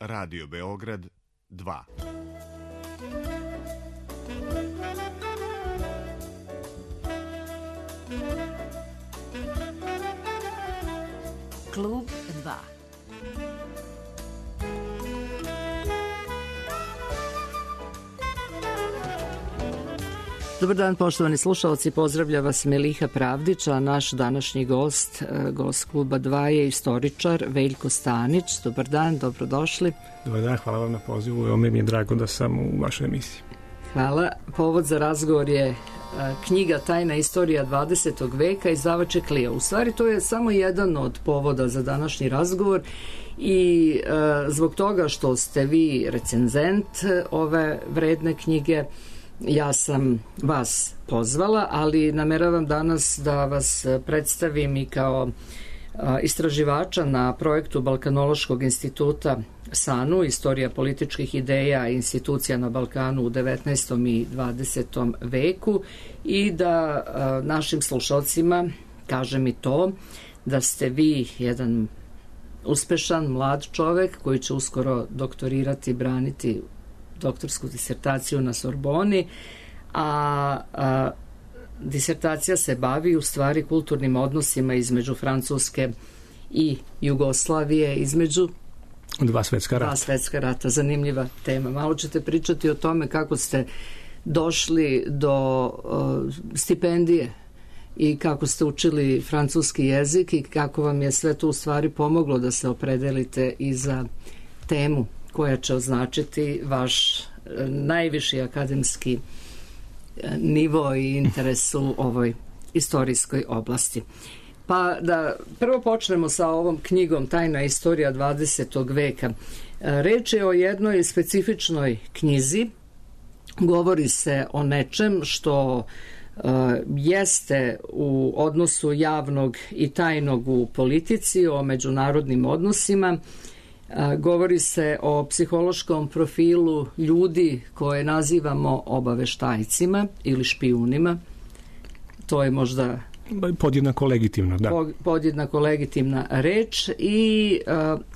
Radio Beograd 2. Klub 2. Dobar dan, poštovani slušalci, pozdravlja vas Meliha Pravdić, a naš današnji gost Kluba 2 je istoričar Veljko Stanić. Dobar dan, dobrodošli. Dobar dan, hvala vam na pozivu, evo mi je drago da sam u vašoj emisiji. Hvala. Povod za razgovor je knjiga Tajna istorija 20. veka, izdavač je Clio. U stvari to je samo jedan od povoda za današnji razgovor i zbog toga što ste vi recenzent ove vredne knjige, ja sam vas pozvala, ali nameravam danas da vas predstavim i kao istraživača na projektu Balkanološkog instituta SANU, Istorija političkih ideja i institucija na Balkanu u 19. i 20. veku, i da našim slušalcima kažem i to da ste vi jedan uspešan mlad čovek koji će uskoro doktorirati, braniti doktorsku disertaciju na Sorboni, a disertacija se bavi u stvari kulturnim odnosima između Francuske i Jugoslavije, između dva svetska rata. Zanimljiva tema. Malo ćete pričati o tome kako ste došli do stipendije i kako ste učili francuski jezik i kako vam je sve to u stvari pomoglo da se opredelite i za temu koja će označiti vaš najviši akademski nivo i interes u ovoj istorijskoj oblasti. Pa da prvo počnemo sa ovom knjigom Tajna istorija 20. veka. Reč je o jednoj specifičnoj knjizi. Govori se o nečem što jeste u odnosu javnog i tajnog u politici, o međunarodnim odnosima. Govori se o psihološkom profilu ljudi koje nazivamo obaveštajcima ili špijunima. To je možda podjednako legitimno, da. Podjednako legitimna reč i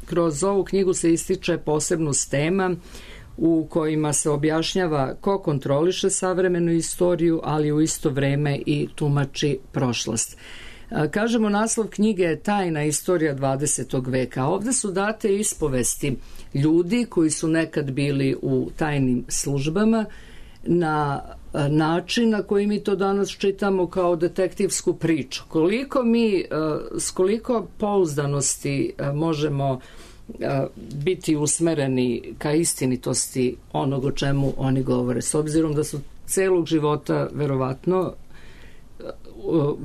kroz ovu knjigu se ističe posebnost tema u kojima se objašnjava ko kontroliše savremenu istoriju, ali u isto vreme i tumači prošlost. Kažemo, naslov knjige je Tajna istorija 20. veka. Ovde su date ispovesti ljudi koji su nekad bili u tajnim službama na način na koji mi to danas čitamo kao detektivsku priču. S koliko pouzdanosti možemo biti usmereni ka istinitosti onog o čemu oni govore, s obzirom da su celog života verovatno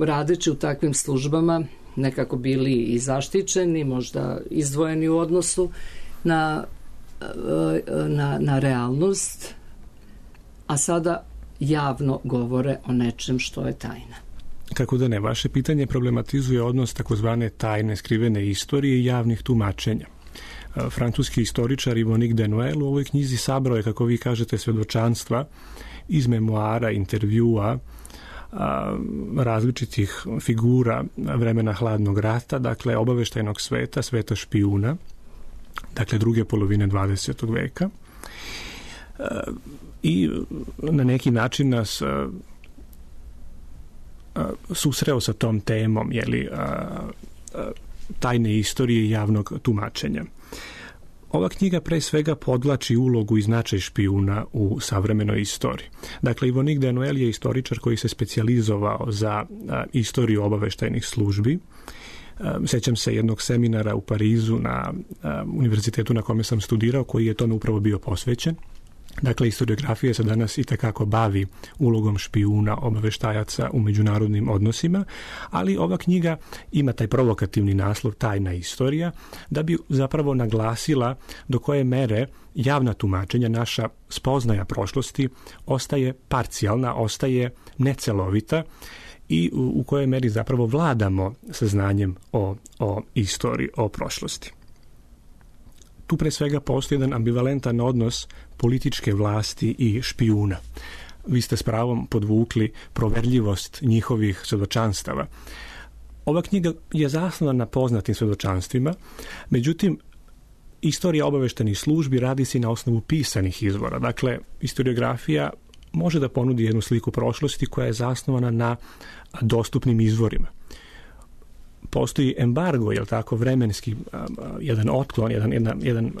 radeći u takvim službama nekako bili i zaštićeni, možda izdvojeni u odnosu na realnost, a sada javno govore o nečem što je tajna. Kako da ne, vaše pitanje problematizuje odnos takozvane tajne skrivene istorije i javnih tumačenja. Francuski istoričar Yvonne de Noël u ovoj knjizi sabrao je, kako vi kažete, svedočanstva iz memoara, intervjua, različitih figura vremena hladnog rata, dakle obaveštajnog sveta, sveta špijuna, dakle druge polovine 20. veka, i na neki način nas susreo sa tom temom, tajne istorije i javnog tumačenja. Ova knjiga pre svega podvlači ulogu i značaj špijuna u savremenoj istoriji. Dakle, Yvonne de Noël je istoričar koji se specijalizovao za istoriju obaveštajnih službi. Sećam se jednog seminara u Parizu na univerzitetu na kome sam studirao, koji je tome upravo bio posvećen. Dakle, historiografija se danas itekako bavi ulogom špijuna, obaveštajaca u međunarodnim odnosima, ali ova knjiga ima taj provokativni naslov Tajna istorija, da bi zapravo naglasila do koje mere javna tumačenja, naša spoznaja prošlosti ostaje parcijalna, ostaje necelovita i u kojoj meri zapravo vladamo saznanjem o istoriji, o prošlosti. Tu pre svega postoji jedan ambivalentan odnos političke vlasti i špijuna. Vi ste s pravom podvukli proverljivost njihovih svedočanstava. Ova knjiga je zasnovana na poznatim svedočanstvima, međutim, istorija obaveštajnih službi radi se na osnovu pisanih izvora. Dakle, historiografija može da ponudi jednu sliku prošlosti koja je zasnovana na dostupnim izvorima. Postoji embargo, je li tako, vremenski jedan otklon, jedan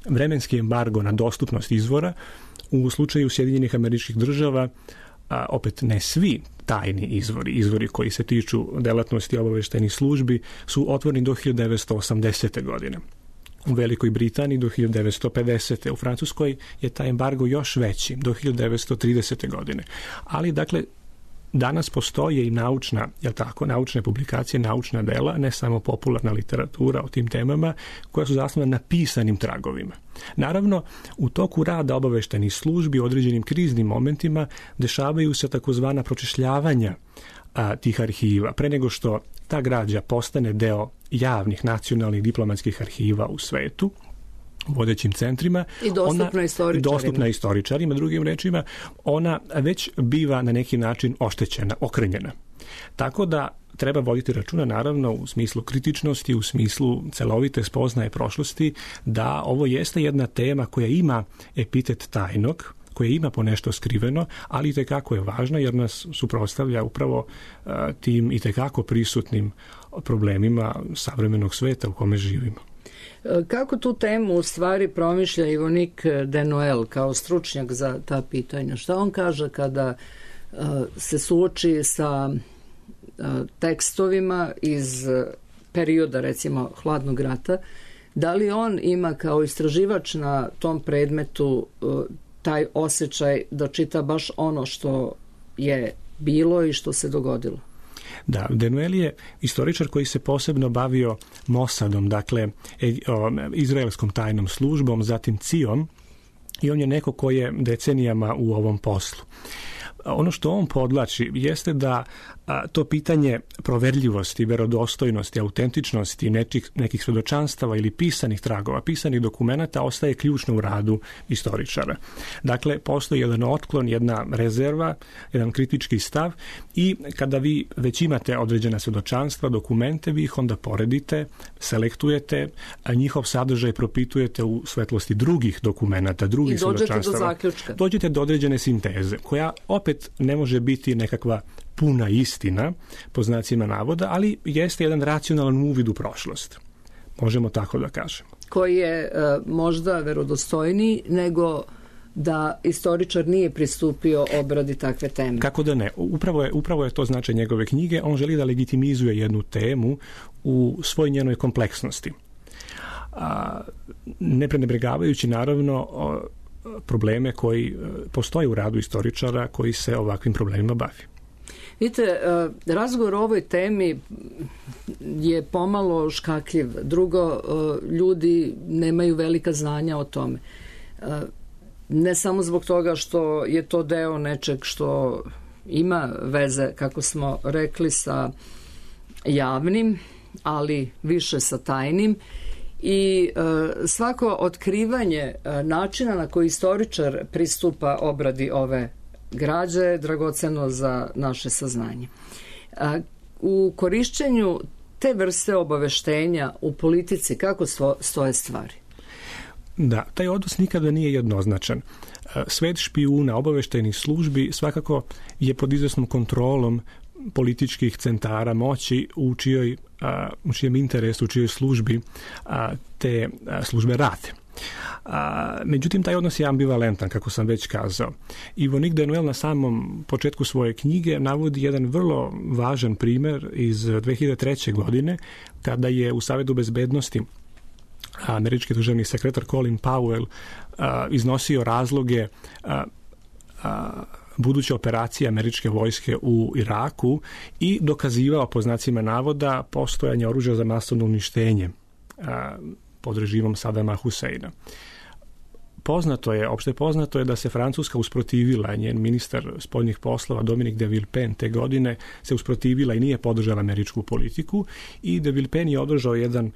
vremenski embargo na dostupnost izvora. U slučaju Sjedinjenih Američkih Država, opet ne svi tajni izvori koji se tiču delatnosti obaveštajnih službi su otvoreni do 1980. godine. U Velikoj Britaniji do 1950. U Francuskoj je taj embargo još veći, do 1930. godine. Ali, dakle, danas postoje i naučne publikacije, naučna dela, ne samo popularna literatura o tim temama, koja su zasnovana na pisanim tragovima. Naravno, u toku rada obaveštajnih službi u određenim kriznim momentima dešavaju se takozvana pročešljavanja tih arhiva. Pre nego što ta građa postane deo javnih nacionalnih diplomatskih arhiva u svetu, u vodećim centrima. I dostupna istoričarima. Drugim rečima, ona već biva na neki način oštećena, okrenjena. Tako da treba voditi računa, naravno, u smislu kritičnosti, u smislu celovite spoznaje prošlosti, da ovo jeste jedna tema koja ima epitet tajnog, koja ima po nešto skriveno, ali itekako je važna jer nas suprotstavlja upravo tim itekako prisutnim problemima savremenog sveta u kome živimo. Kako tu temu u stvari promišlja Yvonnick de Noël kao stručnjak za ta pitanja? Šta on kaže kada se suoči sa tekstovima iz perioda, recimo, Hladnog rata? Da li on ima kao istraživač na tom predmetu taj osjećaj da čita baš ono što je bilo i što se dogodilo? Da, de Noël je istoričar koji se posebno bavio Mossadom, dakle izraelskom tajnom službom, zatim CIA-om, i on je neko ko je decenijama u ovom poslu. Ono što on podlači jeste da to pitanje proverljivosti, verodostojnosti, autentičnosti nekih svedočanstava ili pisanih tragova, pisanih dokumenata ostaje ključno u radu istoričara. Dakle, postoji jedan otklon, jedna rezerva, jedan kritički stav i kada vi već imate određena svedočanstva, dokumente, vi ih onda poredite, selektujete, a njihov sadržaj propitujete u svetlosti drugih dokumenata, drugih svedočanstava. Dođete do određene sinteze, koja opet ne može biti nekakva puna istina, po znacima navoda, ali jeste jedan racionalan uvid u prošlost. Možemo tako da kažemo. Koji je možda verodostojniji nego da istoričar nije pristupio obradi takve teme. Kako da ne? Upravo je to značaj njegove knjige. On želi da legitimizuje jednu temu u svoj njenoj kompleksnosti. Ne prenebregavajući, naravno, probleme koji postoje u radu istoričara koji se ovakvim problemima bavi. Vidite, razgovor o ovoj temi je pomalo škakljiv. Drugo, ljudi nemaju velika znanja o tome. Ne samo zbog toga što je to deo nečeg što ima veze, kako smo rekli, sa javnim, ali više sa tajnim. I svako otkrivanje načina na koji istoričar pristupa obradi ove građe je dragoceno za naše saznanje. U korišćenju te vrste obaveštenja u politici kako stoje stvari? Da, taj odnos nikada nije jednoznačan. Svet špijuna, obaveštajnih službi svakako je pod izvesnom kontrolom političkih centara moći u čijem interesu, u čijoj službi te službe rade. Međutim, taj odnos je ambivalentan, kako sam već kazao. Yvonnick de Noël na samom početku svoje knjige navodi jedan vrlo važan primer iz 2003. godine, kada je u Savetu bezbednosti američki državni sekretar Colin Powell iznosio razloge buduće operacije američke vojske u Iraku i dokazivao, po znacima navoda, postojanje oružja za masovno uništenje pod režimom Sadama Huseina. Opšte poznato je da se Francuska usprotivila, njen ministar spoljnih poslova Dominique de Villepin te godine se usprotivila i nije podržala američku politiku i de Villepin je održao jedan,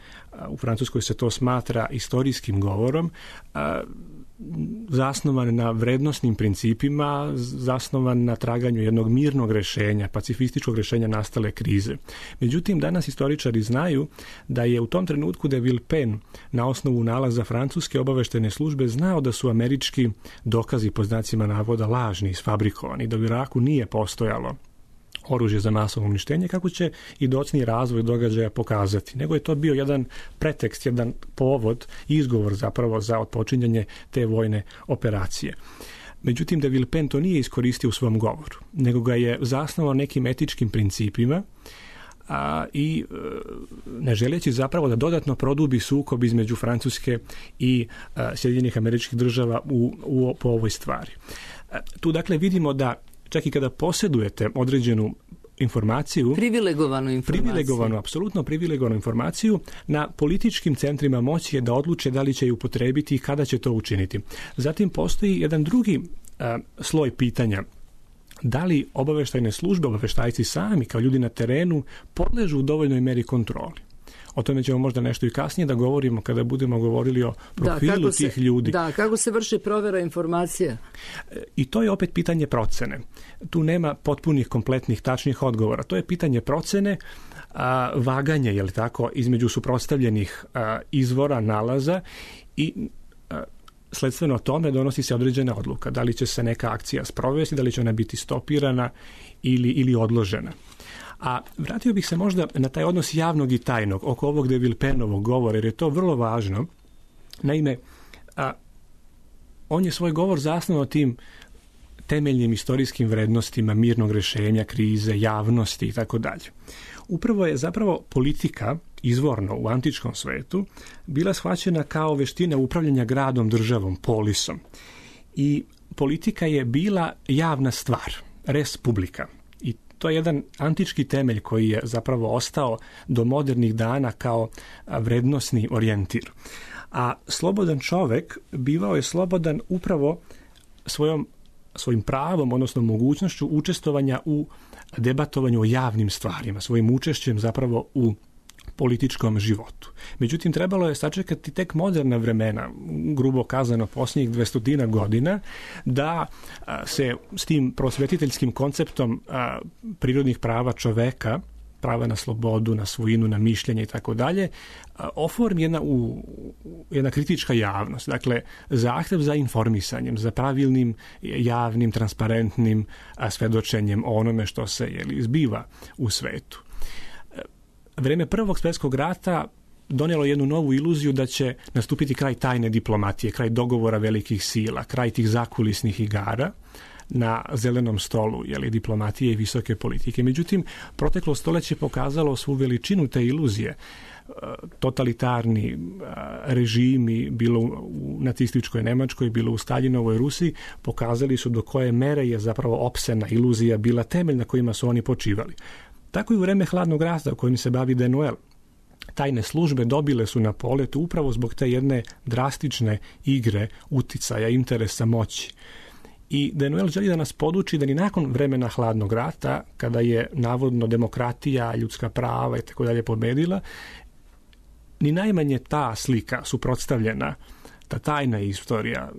u Francuskoj se to smatra istorijskim govorom, zasnovan na vrednosnim principima, zasnovan na traganju jednog mirnog rješenja, pacifističkog rješenja nastale krize. Međutim, danas istoričari znaju da je u tom trenutku de Villepin na osnovu nalaza francuske obaveštajne službe znao da su američki dokazi po znacima navoda lažni, isfabrikovani, da u Iraku nije postojalo oružje za masovno uništenje, kako će i docni razvoj događaja pokazati. Nego je to bio jedan pretekst, jedan povod, izgovor zapravo za otpočinjanje te vojne operacije. Međutim, de Villepin to nije iskoristio u svom govoru, nego ga je zasnovao nekim etičkim principima i ne želeći zapravo da dodatno produbi sukob između Francuske i Sjedinjenih Američkih Država po ovoj stvari. Tu dakle vidimo da čak i kada posjedujete određenu informaciju, apsolutno privilegovanu informaciju, na političkim centrima moći je da odluče da li će je upotrebiti i kada će to učiniti. Zatim postoji jedan drugi sloj pitanja. Da li obaveštajne službe, obaveštajci sami kao ljudi na terenu podležu u dovoljnoj meri kontroli? O tome ćemo možda nešto i kasnije da govorimo kada budemo govorili o profilu tih ljudi. Da, kako se vrši provjera informacija? I to je opet pitanje procene. Tu nema potpunih, kompletnih, tačnih odgovora. To je pitanje procene, vaganje, je li tako, između suprotstavljenih izvora, nalaza i sledstveno tome donosi se određena odluka. Da li će se neka akcija sprovesti, da li će ona biti stopirana ili odložena. A vratio bih se možda na taj odnos javnog i tajnog oko ovog de Villepinovog govora, jer je to vrlo važno. Naime, on je svoj govor zasnovao tim temeljnim istorijskim vrednostima mirnog rješenja, krize, javnosti i tako dalje. Upravo je zapravo politika izvorno u antičkom svetu bila shvaćena kao veština upravljanja gradom, državom, polisom. I politika je bila javna stvar, res publica. To je jedan antički temelj koji je zapravo ostao do modernih dana kao vrednosni orijentir. A slobodan čovjek bivao je slobodan upravo svojim pravom, odnosno mogućnošću učestvovanja u debatovanju o javnim stvarima, svojim učešćem zapravo u političkom životu. Međutim, trebalo je sačekati tek moderna vremena, grubo kazano posljednjih 200 godina, da se s tim prosvetiteljskim konceptom prirodnih prava čoveka, prava na slobodu, na svojinu, na mišljenje i tako dalje, oformi jedna kritička javnost. Dakle, zahtjev za informisanjem, za pravilnim, javnim, transparentnim svedočenjem o onome što se zbiva u svetu. Vrijeme Prvog svjetskog rata donijelo jednu novu iluziju da će nastupiti kraj tajne diplomatije, kraj dogovora velikih sila, kraj tih zakulisnih igara na zelenom stolu, diplomatije i visoke politike. Međutim, proteklo stoljeće pokazalo svu veličinu te iluzije. Totalitarni režimi, bilo u nacističkoj Njemačkoj, bilo u Staljinovoj Rusiji, pokazali su do koje mere je zapravo opsena iluzija bila temelj na kojima su oni počivali. Tako i u vreme hladnog rata u kojim se bavi Denuel. Tajne službe dobile su na poletu upravo zbog te jedne drastične igre, uticaja, interesa, moći. I Denuel želi da nas poduči da ni nakon vremena hladnog rata, kada je navodno demokratija, ljudska prava i tako dalje pobedila, ni najmanje ta slika suprotstavljena, ta tajna istorija,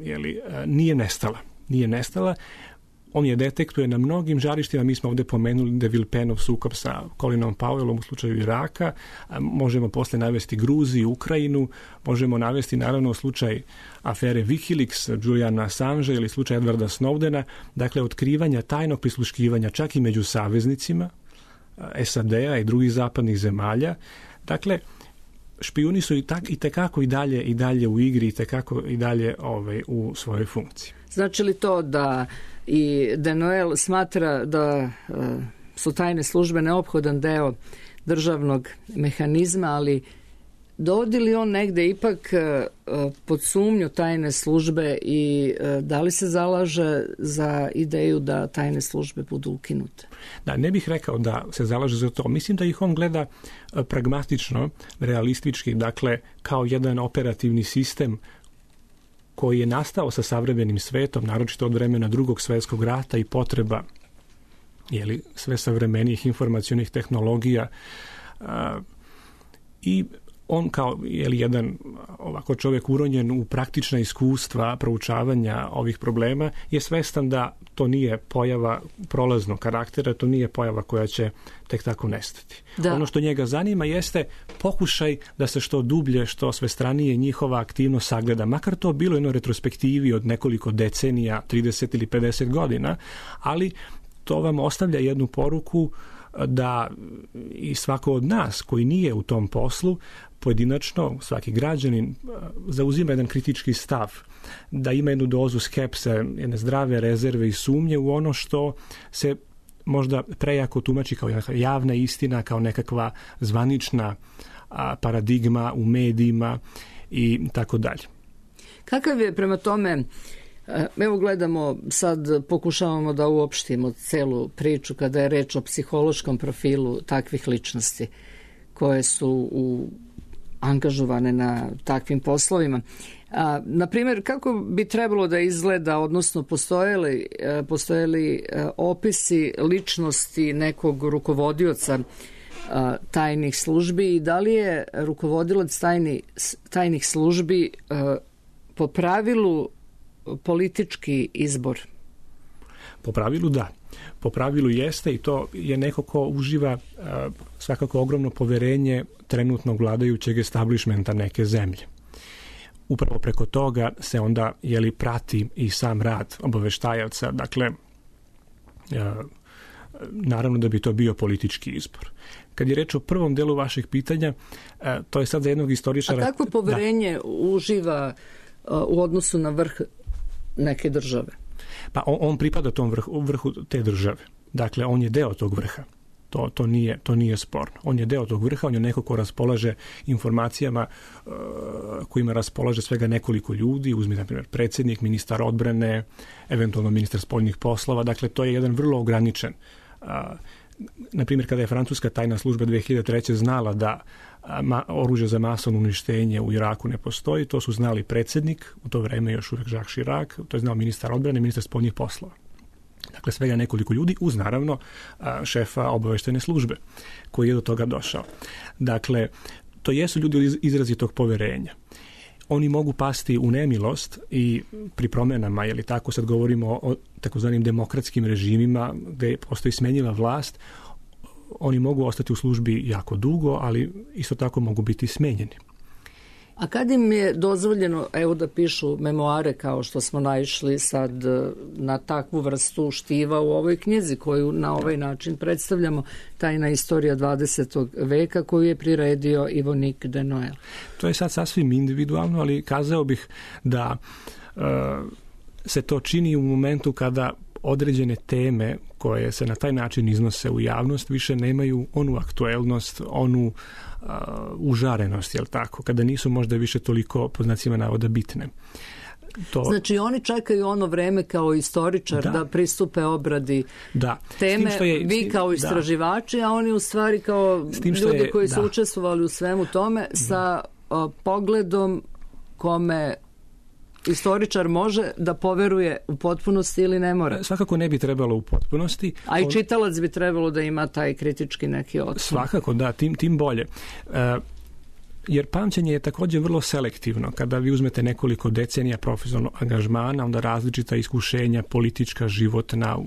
nije nestala. Nije nestala. On je detektuje na mnogim žarištima. Mi smo ovdje pomenuli de Villepinov sukob sa Colinom Powellom u slučaju Iraka. Možemo poslije navesti Gruziju, Ukrajinu. Možemo navesti naravno slučaj afere Wikileaks, Juliana Assange ili slučaj Edwarda Snowdena. Dakle, otkrivanja tajnog prisluškivanja čak i među saveznicima SAD-a i drugih zapadnih zemalja. Dakle, špijuni su i tekako i dalje u igri, i tekako i dalje u svojoj funkciji. Znači li to da i Denuel smatra da su tajne službe neophodan deo državnog mehanizma, ali dovodi li on negde ipak pod sumnju tajne službe i da li se zalaže za ideju da tajne službe budu ukinute? Da, ne bih rekao da se zalaže za to. Mislim da ih on gleda pragmatično, realistički, dakle kao jedan operativni sistem koji je nastao sa savremenim svetom, naročito od vremena Drugog svjetskog rata i potreba sve savremenijih informacionih tehnologija i on kao jedan ovako čovjek uronjen u praktična iskustva proučavanja ovih problema je svestan da to nije pojava prolaznog karaktera, to nije pojava koja će tek tako nestati. Da. Ono što njega zanima jeste pokušaj da se što dublje, što svestranije njihova aktivnost sagleda, makar to bilo jedno retrospektivi od nekoliko decenija, 30 ili 50 godina, ali to vam ostavlja jednu poruku da i svako od nas koji nije u tom poslu, pojedinačno, svaki građanin zauzima jedan kritički stav, da ima jednu dozu skepse, jedne zdrave rezerve i sumnje u ono što se možda prejako tumači kao javna istina, kao nekakva zvanična paradigma u medijima i tako dalje. Kakav je prema tome, evo gledamo, sad pokušavamo da uopštimo celu priču kada je reč o psihološkom profilu takvih ličnosti koje su angažovane na takvim poslovima. Na primjer, kako bi trebalo da izgleda, odnosno postoje li opisi ličnosti nekog rukovodioca tajnih službi i da li je rukovodilac tajnih službi po pravilu politički izbor? Po pravilu da. Po pravilu jeste i to je neko ko uživa svakako ogromno poverenje trenutnog vladajućeg establishmenta neke zemlje. Upravo preko toga se onda prati i sam rad obaveštajaca. Dakle, naravno da bi to bio politički izbor. Kad je reč o prvom delu vašeg pitanja, to je sad za jednog istoričara... A kakvo poverenje uživa u odnosu na vrh neke države? Pa on pripada tom vrhu te države. Dakle, on je deo tog vrha. To nije sporno. On je deo tog vrha, on je neko ko raspolaže informacijama kojima raspolaže svega nekoliko ljudi, uzmi na primjer predsjednik, ministar odbrane, eventualno ministar spoljnih poslova. Dakle, to je jedan vrlo ograničen. Na primjer, kada je francuska tajna služba 2003. znala da oružje za masovno uništenje u Iraku ne postoji, to su znali predsjednik, u to vrijeme još uvijek Jacques Chirac, to je znao ministar odbrane, ministar spoljnih poslova. Dakle, svega nekoliko ljudi, uz naravno šefa obavještajne službe koji je do toga došao. Dakle, to jesu ljudi izrazitog poverenja. Oni mogu pasti u nemilost i pri promjenama, tako sad govorimo o takozvanim demokratskim režimima gdje postoji smenjiva vlast, oni mogu ostati u službi jako dugo, ali isto tako mogu biti smenjeni. A kad im je dozvoljeno, da pišu memoare kao što smo naišli sad na takvu vrstu štiva u ovoj knjizi koju na ovaj način predstavljamo, tajna istorija 20. veka koju je priredio Yvonique de Noël? To je sad sasvim individualno, ali kazao bih da se to čini u momentu kada određene teme koje se na taj način iznose u javnost više nemaju onu aktuelnost, onu užarenost, tako, kada nisu možda više toliko po znacima navoda bitne. Znači oni čekaju ono vreme kao istoričar da pristupe obradi teme, vi kao istraživači, a oni u stvari kao ljudi koji su učestvovali u svemu tome sa pogledom kome istoričar može da poveruje u potpunosti ili ne mora? Svakako ne bi trebalo u potpunosti. A i čitalac bi trebalo da ima taj kritički neki otpor. Svakako, da, tim bolje. Jer pamćenje je također vrlo selektivno. Kada vi uzmete nekoliko decenija profesionalnog angažmana, onda različita iskušenja, politička, životna,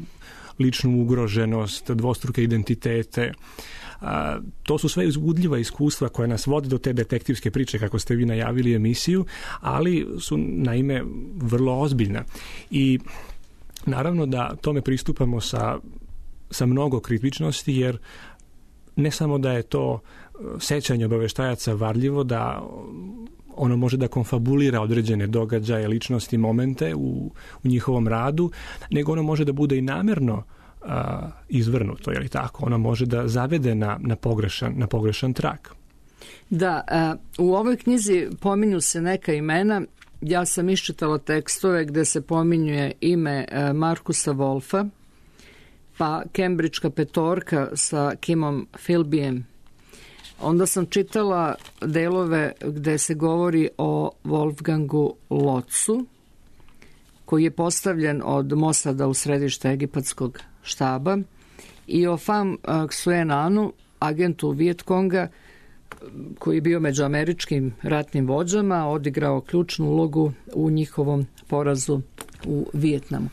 ličnu ugroženost, dvostruke identitete, to su sve uzbudljiva iskustva koja nas vode do te detektivske priče, kako ste vi najavili emisiju, ali su naime vrlo ozbiljna. I naravno da tome pristupamo sa mnogo kritičnosti, jer ne samo da je to sećanje obavještajaca varljivo, da ono može da konfabulira određene događaje, ličnosti, momente u njihovom radu, nego ono može da bude i namjerno izvrnuto, je li tako? Ona može da zavede na pogrešan trak. Da, u ovoj knjizi pominju se neka imena. Ja sam iščitala tekstove gde se pominjuje ime Markusa Wolfa, pa Cambridgeka petorka sa Kimom Philbyjem. Onda sam čitala delove gde se govori o Wolfgangu Lotzu, koji je postavljen od Mosada u središte egipatskog štaba, i o Pham Xuan Anu, agentu Vietkonga, koji je bio među američkim ratnim vođama, odigrao ključnu ulogu u njihovom porazu u Vijetnamu.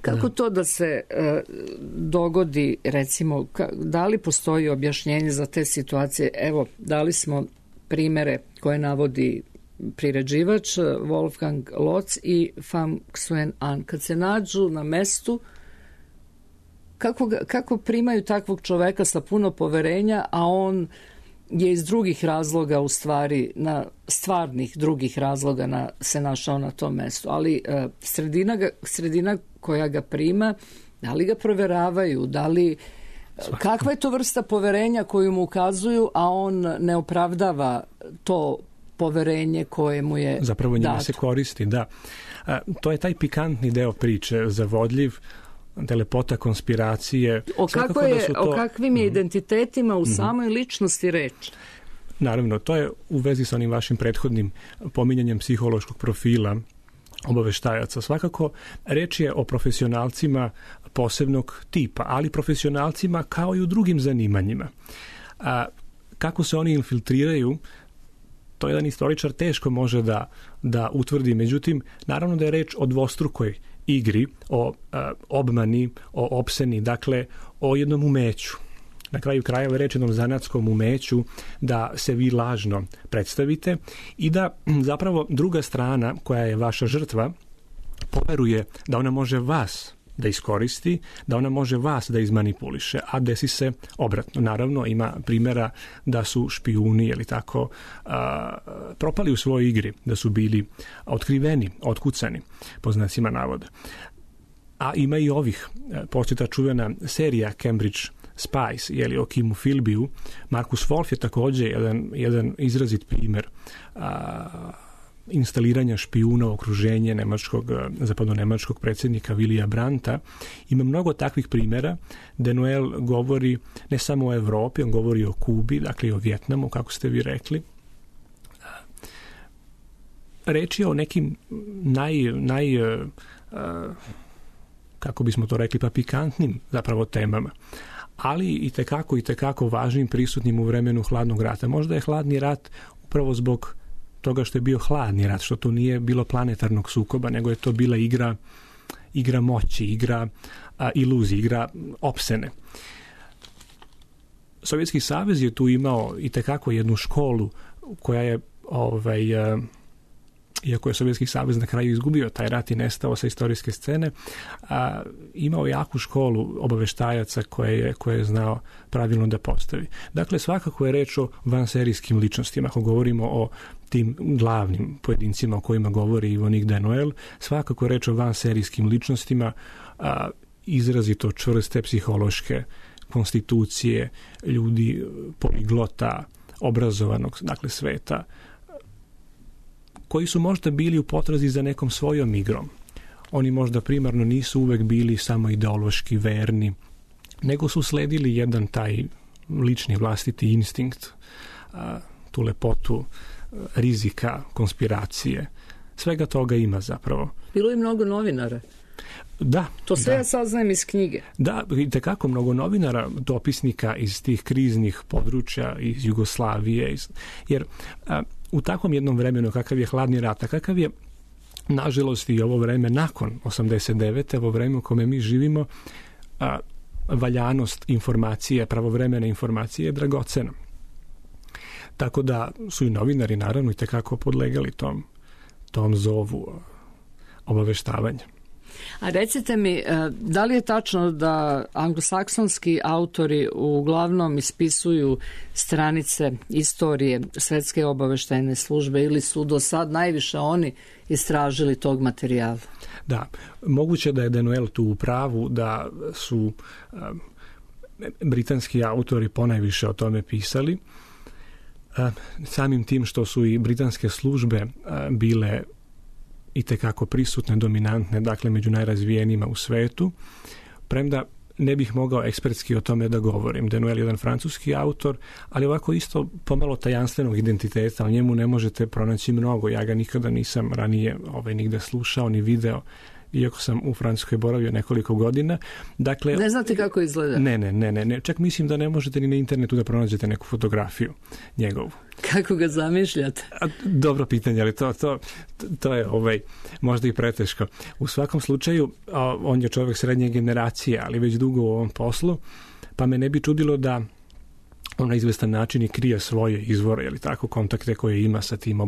Kako to da se dogodi, recimo, da li postoji objašnjenje za te situacije? Evo, dali smo primere koje navodi priređivač Wolfgang Lotz i Pham Xuyen An. Kad se nađu na mestu, kako primaju takvog čoveka sa puno poverenja, a on je iz drugih razloga, u stvari, na stvarnih drugih razloga se našao na tom mestu. Ali sredina koja ga prima, da li ga proveravaju, da li... Kakva je to vrsta poverenja koju mu ukazuju, a on ne opravdava to poverenje koje mu je zapravo njima se koristi, da. To je taj pikantni deo priče, zavodljiv, lepota konspiracije. O kakvim je identitetima u samoj ličnosti reč? Naravno, to je u vezi sa onim vašim prethodnim pominjanjem psihološkog profila obaveštajaca. Svakako, reč je o profesionalcima posebnog tipa, ali profesionalcima kao i u drugim zanimanjima. Kako se oni infiltriraju, to jedan istoričar teško može da utvrdi. Međutim, naravno da je reč o dvostrukoj igri, o obmani, o opseni, dakle o jednom umeću. Na kraju krajeva reč jednom zanatskom umeću da se vi lažno predstavite i da zapravo druga strana koja je vaša žrtva poveruje da ona može vas da iskoristi, da ona može vas da izmanipuliše, a desi se obratno. Naravno, ima primjera da su špijuni ili tako propali u svojoj igri, da su bili otkriveni, otkucani, po znacima navoda. A ima i ovih, posljedna čuvena serija Cambridge Spies, jeli, o Kimu Philbyu. Markus Wolf je također jedan izrazit primjer instaliranja špijuna u okruženje zapadno-nemačkog predsjednika Willya Brandta. Ima mnogo takvih primjera. Denuel govori ne samo o Evropi, on govori o Kubi, dakle i o Vijetnamu, kako ste vi rekli. Reč je o nekim kako bismo to rekli, pa pikantnim zapravo temama, ali i tekako važnim, prisutnim u vremenu hladnog rata. Možda je hladni rat upravo zbog toga što je bio hladni rat, što to nije bilo planetarnog sukoba, nego je to bila igra moći, igra iluzije, igra opsene. Sovjetski savez je tu imao i tekako jednu školu koja je iako je Sovjetski savez na kraju izgubio taj rat i nestao sa istorijske scene, imao jaku školu obaveštajaca koje je znao pravilno da postavi. Dakle, svakako je reč o vanserijskim ličnostima. Ako govorimo o tim glavnim pojedincima o kojima govori Yvonne Denuel, svakako je reč o vanserijskim ličnostima, izrazito čvrste psihološke konstitucije, ljudi poliglota, obrazovanog, dakle, sveta, koji su možda bili u potrazi za nekom svojom igrom. Oni možda primarno nisu uvek bili samo ideološki verni, nego su sledili jedan taj lični vlastiti instinkt, tu lepotu rizika, konspiracije. Svega toga ima zapravo. Bilo je mnogo novinara. Da. To sve ja saznajem iz knjige. Da, i tekako mnogo novinara, dopisnika iz tih kriznih područja, iz Jugoslavije, jer u takvom jednom vremenu kakav je hladni rat, kakav je nažalost i ovo vreme nakon 89. ovo vreme u kome mi živimo, valjanost informacije, pravovremene informacije je dragocena. Tako da su i novinari naravno i tekako podlegali tom zovu obaveštavanja. A recite mi, da li je tačno da anglosaksonski autori uglavnom ispisuju stranice istorije Svetske obaveštajne službe ili su do sad najviše oni istražili tog materijala? Da, moguće da je Denuel tu u pravu, da su britanski autori ponajviše o tome pisali. Samim tim što su i britanske službe bile i tekako prisutne, dominantne, dakle među najrazvijenima u svetu, premda ne bih mogao ekspertski o tome da govorim. Denuel je jedan francuski autor, ali ovako isto pomalo tajanstvenog identiteta, o njemu ne možete pronaći mnogo. Ja ga nikada nisam ranije nigde slušao ni video. iako sam u Francuskoj boravio nekoliko godina. Dakle, ne znate kako izgleda? Ne. Čak mislim da ne možete ni na internetu da pronađete neku fotografiju njegovu. Kako ga zamišljate? Dobro pitanje, ali to je možda i preteško. U svakom slučaju, on je čovjek srednje generacije, ali već dugo u ovom poslu, pa me ne bi čudilo da on na izvestan način i krije svoje izvore, ili tako, kontakte koje ima sa tim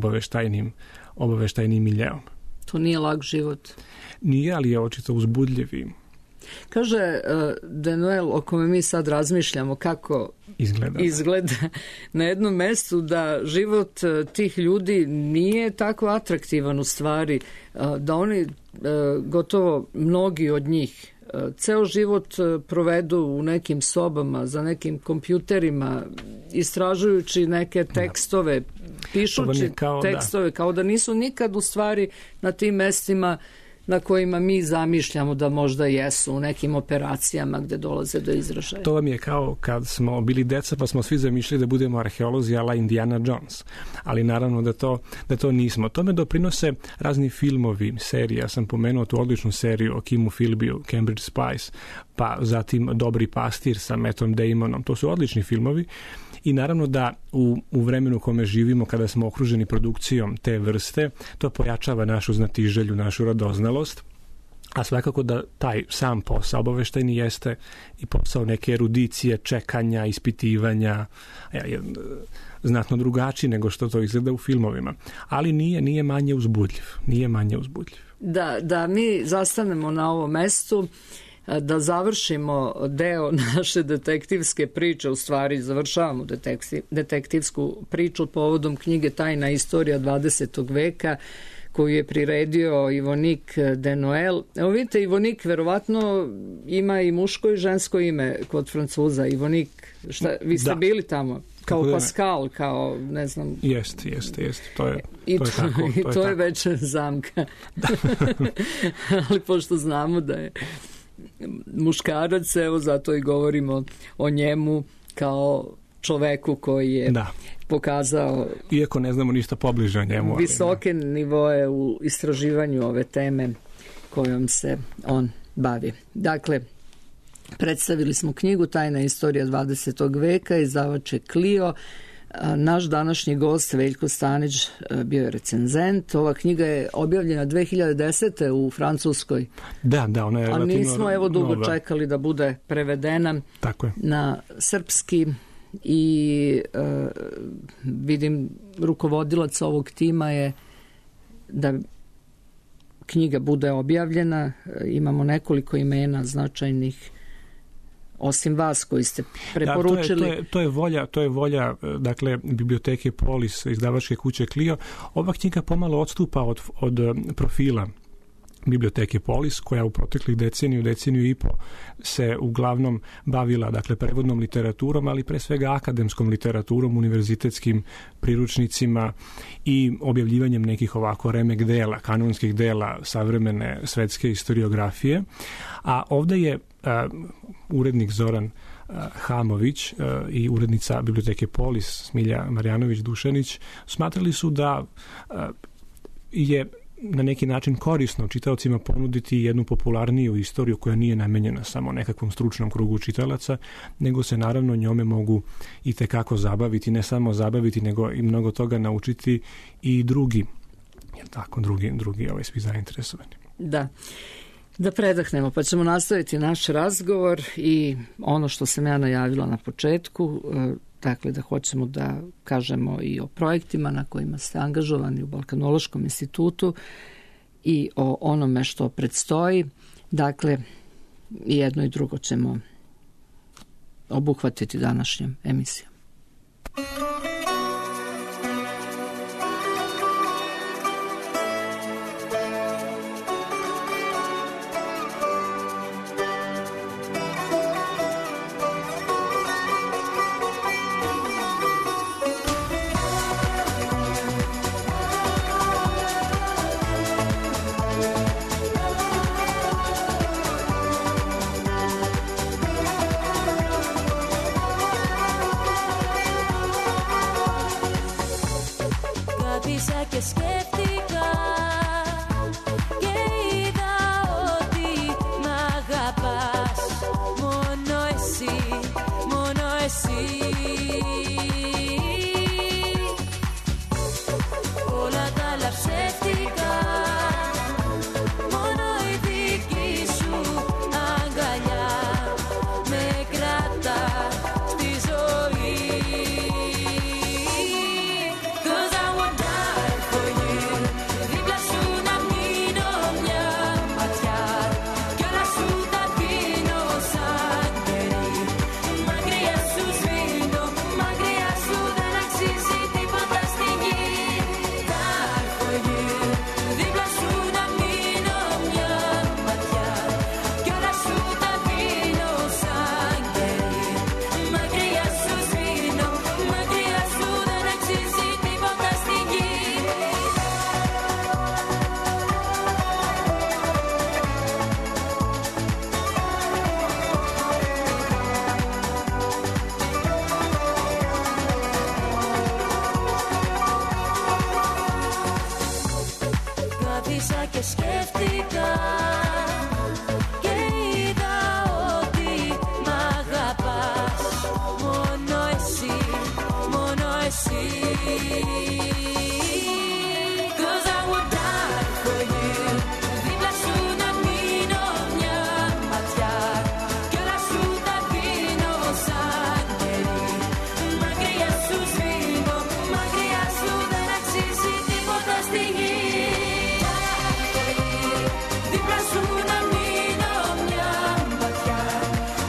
obaveštajnim miljeom. To nije lak život. Nije, ali je očito uzbudljiv. Kaže Denuel, o kome mi sad razmišljamo, kako izgleda na jednom mestu, da život tih ljudi nije tako atraktivan u stvari, da oni gotovo mnogi od njih ceo život provedu u nekim sobama, za nekim kompjuterima, istražujući neke tekstove, pišući tekstove, kao da nisu nikad u stvari na tim mestima na kojima mi zamišljamo da možda jesu u nekim operacijama gde dolaze do izražaja. To vam je kao kad smo bili deca pa smo svi zamišljali da budemo arheolozi ala Indiana Jones, ali naravno da to nismo. Tome doprinose razni filmovi, serije. Ja sam pomenuo tu odličnu seriju o Kimu Philbyu, Cambridge Spies, pa zatim Dobri pastir sa Mattom Damonom. To su odlični filmovi. I naravno da u vremenu u kome živimo, kada smo okruženi produkcijom te vrste, to pojačava našu znatiželju, našu radoznalost, a svakako da taj sam posao obaveštajni jeste i posao neke erudicije, čekanja, ispitivanja, znatno drugačiji nego što to izgleda u filmovima. Ali nije manje uzbudljiv. Da mi zastanemo na ovom mestu, da završimo deo naše detektivske priče, u stvari završavamo detektivsku priču povodom knjige Tajna istorija 20. veka koju je priredio Ivonik Denuel. Evo vidite, Ivonik verovatno ima i muško i žensko ime kod Francuza. Ivonik, vi ste bili tamo? Kao Pascal, kao ne znam... Jeste. To je to je već zamka. Ali pošto znamo da je muškarac, evo zato i govorimo o njemu kao čoveku koji je pokazao, iako ne znamo ništa pobliže o njemu, visoke nivoe u istraživanju ove teme kojom se on bavi. Dakle, predstavili smo knjigu Tajna istorija 20. veka, izdavač je Clio. Naš današnji gost Veljko Stanić bio je recenzent. Ova knjiga je objavljena 2010. u Francuskoj. Da, ona je relativno a nismo dugo čekali da bude prevedena na srpski i vidim rukovodilac ovog tima je da knjiga bude objavljena. Imamo nekoliko imena značajnih osim vas koji ste preporučili. To je volja dakle, biblioteke Polis, izdavačke kuće Clio. Ova knjiga pomalo odstupa od profila biblioteke Polis, koja u proteklih deceniju i po se uglavnom bavila, dakle, prevodnom literaturom, ali pre svega akademskom literaturom, univerzitetskim priručnicima i objavljivanjem nekih ovako remek dela, kanonskih dela savremene svetske historiografije. A ovde je urednik Zoran Hamović i urednica biblioteke Polis Smilja Marjanović-Dušanić smatrali su da je na neki način korisno čitaocima ponuditi jednu popularniju istoriju koja nije namenjena samo nekakvom stručnom krugu čitalaca, nego se naravno njome mogu i tekako zabaviti, ne samo zabaviti, nego i mnogo toga naučiti i drugi svi zainteresovani. Da predahnemo, pa ćemo nastaviti naš razgovor i ono što sam ja najavila na početku, dakle da hoćemo da kažemo i o projektima na kojima ste angažovani u Balkanološkom institutu i o onome što predstoji. Dakle, jedno i drugo ćemo obuhvatiti današnjom emisijom. Και σκέφτηκα και είδα σκέφτηκα και είδα ότι μ' αγαπάς. Μόνο εσύ, μόνο εσύ. Cause I would die for you. Δίπλα σου να μείνω μια ματιά κι όλα σου τα δίνω σαν κερί. Μακριά σου σβήνω, μακριά σου δεν αξίζει τίποτα στη γη. Δίπλα σου να μείνω μια ματιά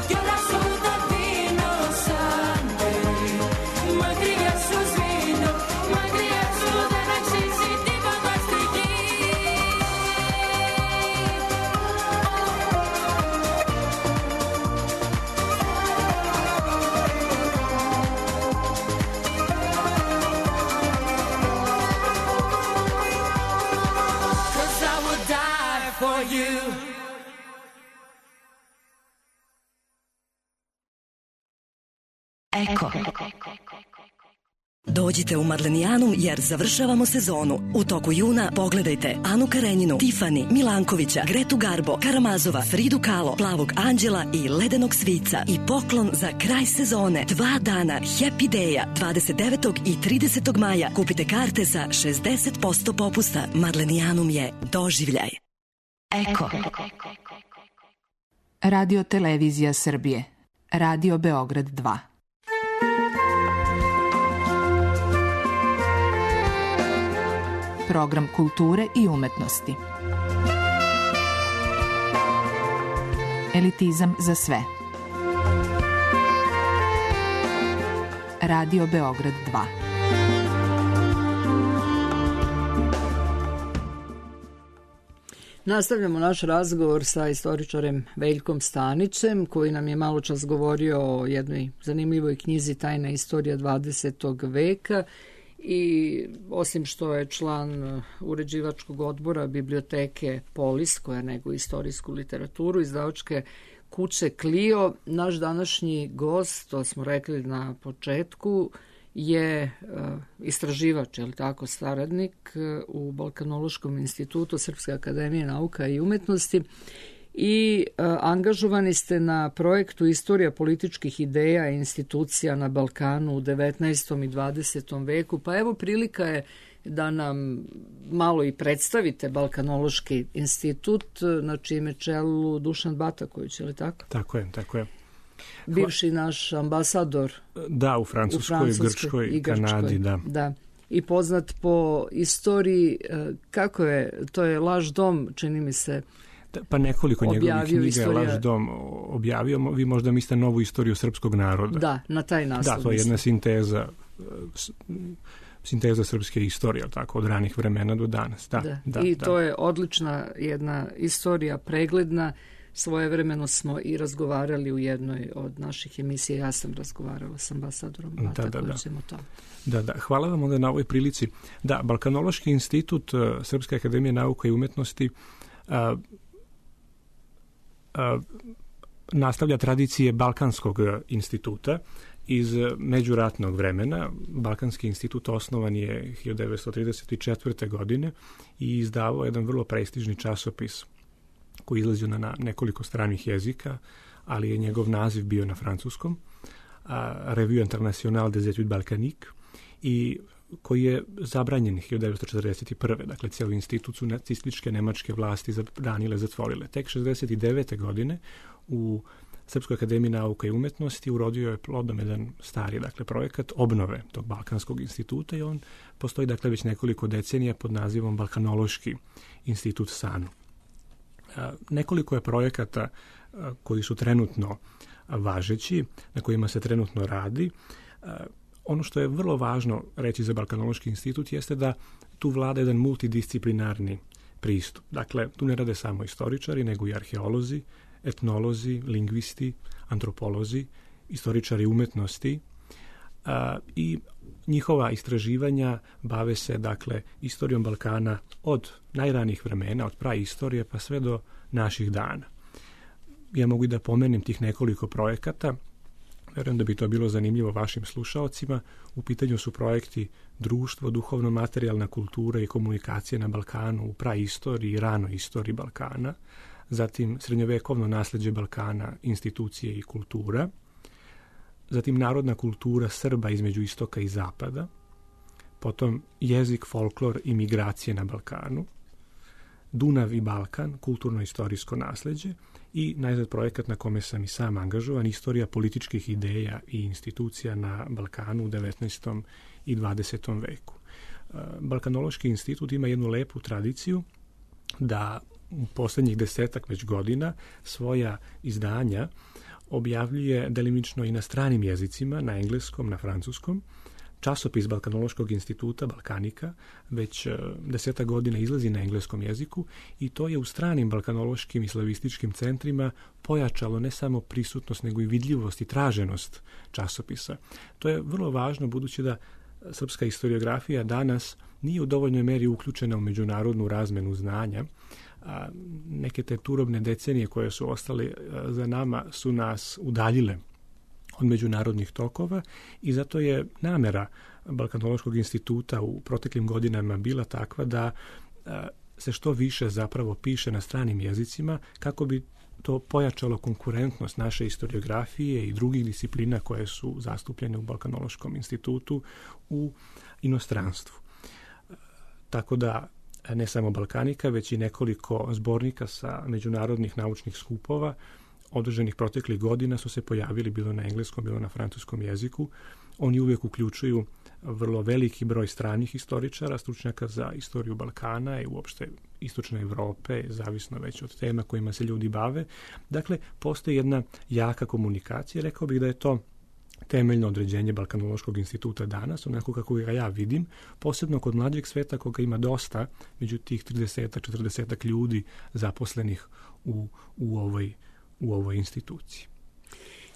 κι όλα σου τα δίνω σαν κερί. Μακριά σου σβήνω, μακριά σου δεν αξίζει τίποτα στη γη. Cause I would die for you. Eko. Dođite u Marlenijanum jer završavamo sezonu. U toku juna pogledajte Anu Karenjinu, Tifani, Milankovića, Gretu Garbo, Karamazova, Fridu Kahlo, Plavog anđela i Ledenog svica. I poklon za kraj sezone. 2 dana Happy Day-a 29. i 30. maja. Kupite karte sa 60% popusta. Marlenijanum je doživljaj. Eko. Radio Televizija Srbije. Radio Beograd 2. Program kulture i umetnosti. Elitizam za sve. Radio Beograd 2. Nastavljamo naš razgovor sa istoričarem Veljkom Stanićem, koji nam je malo čas govorio o jednoj zanimljivoj knjizi Tajna istorija 20. veka i osim što je član uređivačkog odbora biblioteke Polis, koja neguje istorijsku literaturu, izdavačke kuće Clio, naš današnji gost, to smo rekli na početku, je istraživač, je li tako, saradnik u Balkanološkom institutu Srpske akademije nauka i umetnosti i angažovani ste na projektu Istorija političkih ideja i institucija na Balkanu u 19. i 20. veku. Pa evo, prilika je da nam malo i predstavite Balkanološki institut, na čime čelu Dušan Bataković, je li tako? Tako je, tako je. Bivši naš ambasador. Da, u Francuskoj, Grčkoj i Kanadi, da. Da. I poznat po istoriji, kako je, to je Laž dom, čini mi se, pa nekoliko njegovih knjiga istorija... Laž dom objavio. Vi možda mislite novu istoriju srpskog naroda. Da, na taj naslov. Da, to je jedna sinteza srpske istorije, tako, od ranih vremena do danas. Da, I to je odlična jedna istorija, pregledna. Svojevremeno smo i razgovarali u jednoj od naših emisija. Ja sam razgovarala s ambasadorom Batakovićem o tome. Da. Hvala vam onda na ovoj prilici. Da, Balkanološki institut Srpske akademije nauka i umetnosti nastavlja tradicije Balkanskog instituta iz međuratnog vremena. Balkanski institut osnovan je 1934. godine i izdavao jedan vrlo prestižni časopis koji izlazio na nekoliko stranih jezika, ali je njegov naziv bio na francuskom, Revue Internationale des Études Balkaniques, i koji je zabranjen 1941. Dakle, cijeli institut su nacističke nemačke vlasti zabranile, zatvorile. Tek 1969. godine u Srpskoj akademiji nauka i umetnosti urodio je plodom jedan stari, dakle, projekat obnove tog Balkanskog instituta i on postoji, dakle, već nekoliko decenija pod nazivom Balkanološki institut SANU. Nekoliko je projekata koji su trenutno važeći, na kojima se trenutno radi. Ono što je vrlo važno reći za Balkanološki institut jeste da tu vlada jedan multidisciplinarni pristup. Dakle, tu ne rade samo istoričari, nego i arheolozi, etnolozi, lingvisti, antropolozi, istoričari umetnosti i njihova istraživanja bave se, dakle, istorijom Balkana od najranijih vremena, od praistorije pa sve do naših dana. Ja mogu i da pomenem tih nekoliko projekata. Verujem da bi to bilo zanimljivo vašim slušaocima. U pitanju su projekti društvo, duhovno-materijalna kultura i komunikacije na Balkanu u praistoriji i ranoj istoriji Balkana, zatim srednjovekovno nasljeđe Balkana, institucije i kultura, zatim narodna kultura Srba između istoka i zapada, potom jezik, folklor i migracije na Balkanu, Dunav i Balkan, kulturno-istorijsko nasljeđe i najzad projekat na kome sam i sam angažovan, istorija političkih ideja i institucija na Balkanu u 19. i 20. veku. Balkanološki institut ima jednu lepu tradiciju da u posljednjih 10-ak već godina svoja izdanja objavljuje delimično i na stranim jezicima, na engleskom, na francuskom. Časopis Balkanološkog instituta, Balkanika, već 10 godina izlazi na engleskom jeziku i to je u stranim balkanološkim i slavističkim centrima pojačalo ne samo prisutnost, nego i vidljivost i traženost časopisa. To je vrlo važno budući da srpska historiografija danas nije u dovoljnoj meri uključena u međunarodnu razmenu znanja. Neke te turobne decenije koje su ostale za nama su nas udaljile od međunarodnih tokova i zato je namera Balkanološkog instituta u proteklim godinama bila takva da se što više zapravo piše na stranim jezicima kako bi to pojačalo konkurentnost naše historiografije i drugih disciplina koje su zastupljene u Balkanološkom institutu u inostranstvu. Tako da ne samo Balkanika, već i nekoliko zbornika sa međunarodnih naučnih skupova održanih proteklih godina su se pojavili bilo na engleskom, bilo na francuskom jeziku. Oni uvijek uključuju vrlo veliki broj stranih historičara, stručnjaka za istoriju Balkana i uopšte istočne Evrope, zavisno već od tema kojima se ljudi bave. Dakle, postoji jedna jaka komunikacija. Rekao bih da je to temeljno određenje Balkanološkog instituta danas, onako kako ga ja vidim, posebno kod mlađeg sveta koga ima dosta, među tih 30-40 ljudi zaposlenih u ovoj instituciji.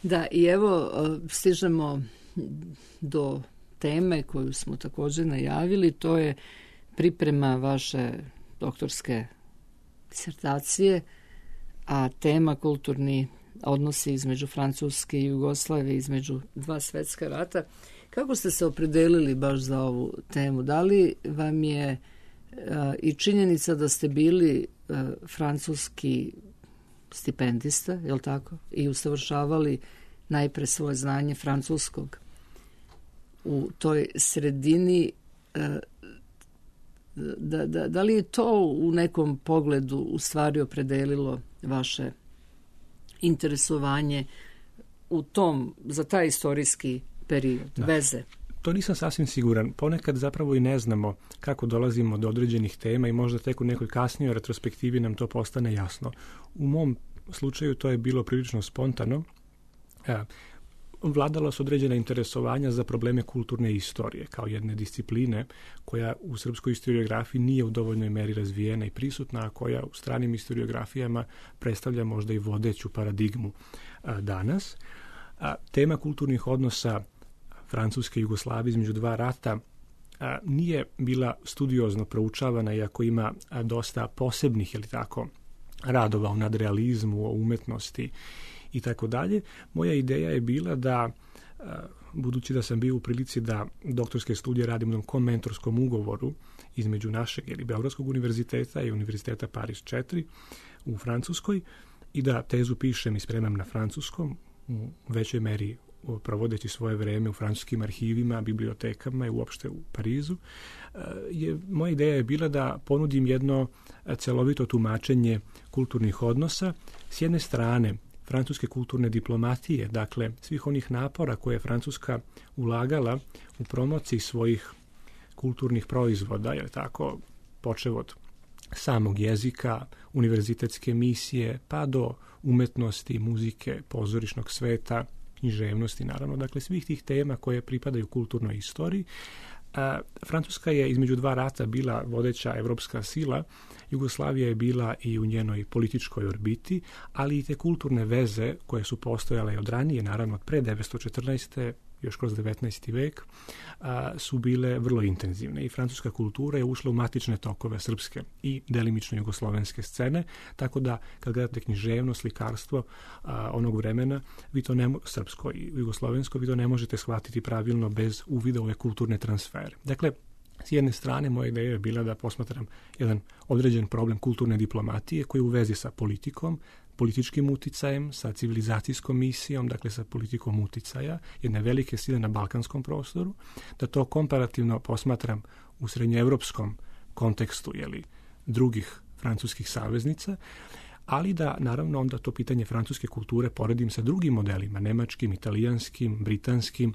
Da, i evo stižemo do teme koju smo također najavili, to je priprema vaše doktorske disertacije, a tema kulturni odnosi između Francuske i Jugoslavije, između dva svjetska rata. Kako ste se opredelili baš za ovu temu? Da li vam je i činjenica da ste bili francuski stipendista, je li tako? I usavršavali najpre svoje znanje francuskog u toj sredini, da li je to u nekom pogledu u stvari opredelilo vaše interesovanje u tom, za taj istorijski period, veze? To nisam sasvim siguran. Ponekad zapravo i ne znamo kako dolazimo do određenih tema i možda tek u nekoj kasnijoj retrospektivi nam to postane jasno. U mom slučaju to je bilo prilično spontano. Vladalo su određena interesovanja za probleme kulturne istorije kao jedne discipline koja u srpskoj historiografiji nije u dovoljnoj meri razvijena i prisutna, a koja u stranim historiografijama predstavlja možda i vodeću paradigmu danas. Tema kulturnih odnosa Francuske i Jugoslavije između dva rata nije bila studiozno proučavana, iako ima dosta posebnih, je li tako, radova o nadrealizmu, o umetnosti i tako dalje. Moja ideja je bila da, budući da sam bio u prilici da doktorske studije radim u jednom komentorskom ugovoru između našeg ili Beogradskog univerziteta i Univerziteta Paris 4 u Francuskoj i da tezu pišem i spremam na francuskom, u većoj meri provodeći svoje vreme u francuskim arhivima, bibliotekama i uopšte u Parizu, moja ideja je bila da ponudim jedno celovito tumačenje kulturnih odnosa. S jedne strane, francuske kulturne diplomatije, dakle svih onih napora koje je Francuska ulagala u promociji svojih kulturnih proizvoda, je tako, počev od samog jezika, univerzitetske misije, pa do umetnosti, muzike, pozorišnog sveta, književnosti, naravno, dakle svih tih tema koje pripadaju kulturnoj istoriji. Francuska je između dva rata bila vodeća evropska sila, Jugoslavija je bila i u njenoj političkoj orbiti, ali i te kulturne veze koje su postojale od ranije, naravno od pre 1914. još kroz 19. vek, su bile vrlo intenzivne i francuska kultura je ušla u matične tokove srpske i delimično jugoslovenske scene, tako da kad gledate književno, slikarstvo onog vremena, vi to srpsko i jugoslovensko, vi to ne možete shvatiti pravilno bez uvida u ove kulturne transfere. Dakle, s jedne strane, moja ideja je bila da posmatram jedan određen problem kulturne diplomatije koji je u vezi sa politikom, političkim uticajem, sa civilizacijskom misijom, dakle sa politikom uticaja, jedne velike sile na balkanskom prostoru, da to komparativno posmatram u srednjoevropskom kontekstu, drugih francuskih saveznica, ali da naravno onda to pitanje francuske kulture poredim sa drugim modelima, nemačkim, italijanskim, britanskim,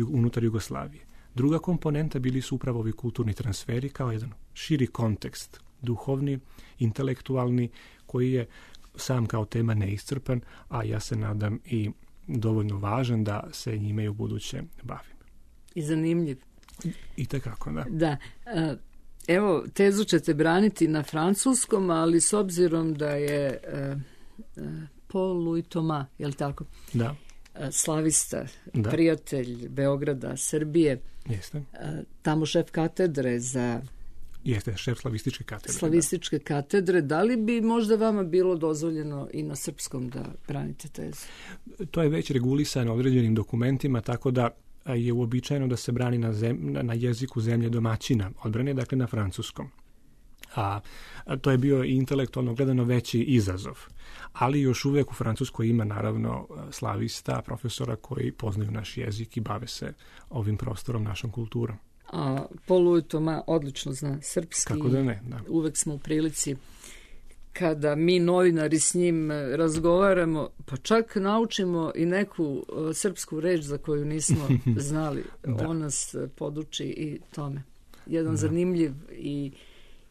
unutar Jugoslavije. Druga komponenta bili su upravo ovi kulturni transferi kao jedan širi kontekst, duhovni, intelektualni, koji je sam kao tema neiscrpan, a ja se nadam i dovoljno važan da se njime i u buduće bavim. I zanimljiv. I tekako, da. Da. Evo, tezu ćete braniti na francuskom, ali s obzirom da je Paul-Louis Thomas, je li tako? Da. Slavista, prijatelj Beograda, Srbije. Jeste. Tamo šef katedre za... Jeste, šef slavističke katedre. Slavističke katedre. Da li bi možda vama bilo dozvoljeno i na srpskom da branite tezu? To je već regulisano određenim dokumentima, tako da je uobičajeno da se brani na jeziku zemlje domaćina odbrane, dakle na francuskom. A to je bio intelektualno gledano veći izazov. Ali još uvijek u Francuskoj ima naravno slavista, profesora koji poznaju naš jezik i bave se ovim prostorom, našom kulturom. A Paul-Louis Thomas odlično zna srpski. Kako da ne, da. Uvek smo u prilici kada mi novinari s njim razgovaramo, pa čak naučimo i neku srpsku reč za koju nismo znali. On nas poduči i tome. Jedan zanimljiv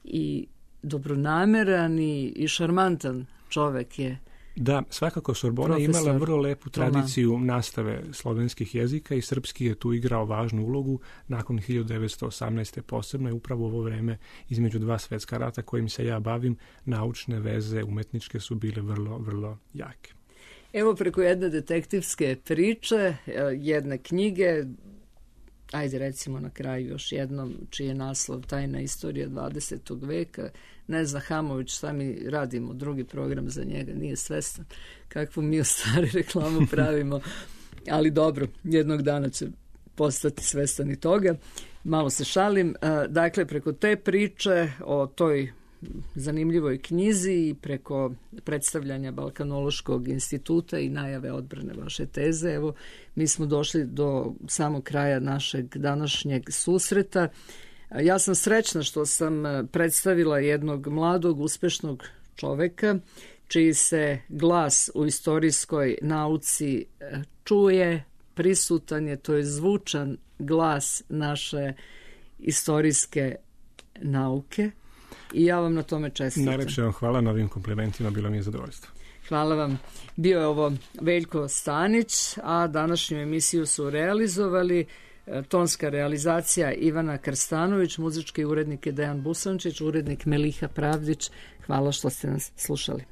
i dobronameran i šarmantan čovek je. Da, svakako Sorbona je imala vrlo lepu tradiciju nastave slovenskih jezika i srpski je tu igrao važnu ulogu. Nakon 1918. posebno je upravo ovo vreme između dva svetska rata kojim se ja bavim, naučne veze umetničke su bile vrlo, vrlo jake. Evo preko jedne detektivske priče, jedne knjige, ajde recimo na kraju još jednom, čiji je naslov Tajna istorija 20. veka. Nezna Hamović, šta mi radimo, drugi program za njega, nije svestan kakvu mi u stvari reklamu pravimo, ali dobro, jednog dana će postati svestan i toga. Malo se šalim. Dakle, preko te priče o toj zanimljivoj knjizi i preko predstavljanja Balkanološkog instituta i najave odbrane vaše teze, evo, mi smo došli do samog kraja našeg današnjeg susreta. Ja sam srećna što sam predstavila jednog mladog, uspešnog čoveka, čiji se glas u istorijskoj nauci čuje, prisutan je, to je zvučan glas naše istorijske nauke. I ja vam na tome čestitam. Najlepše vam hvala na ovim komplimentima, bilo mi je zadovoljstvo. Hvala vam. Bio je ovo Veljko Stanić, a današnju emisiju su realizovali tonska realizacija Ivana Krstanović, muzički urednik je Dejan Busančić, urednik Meliha Pravdić. Hvala što ste nas slušali.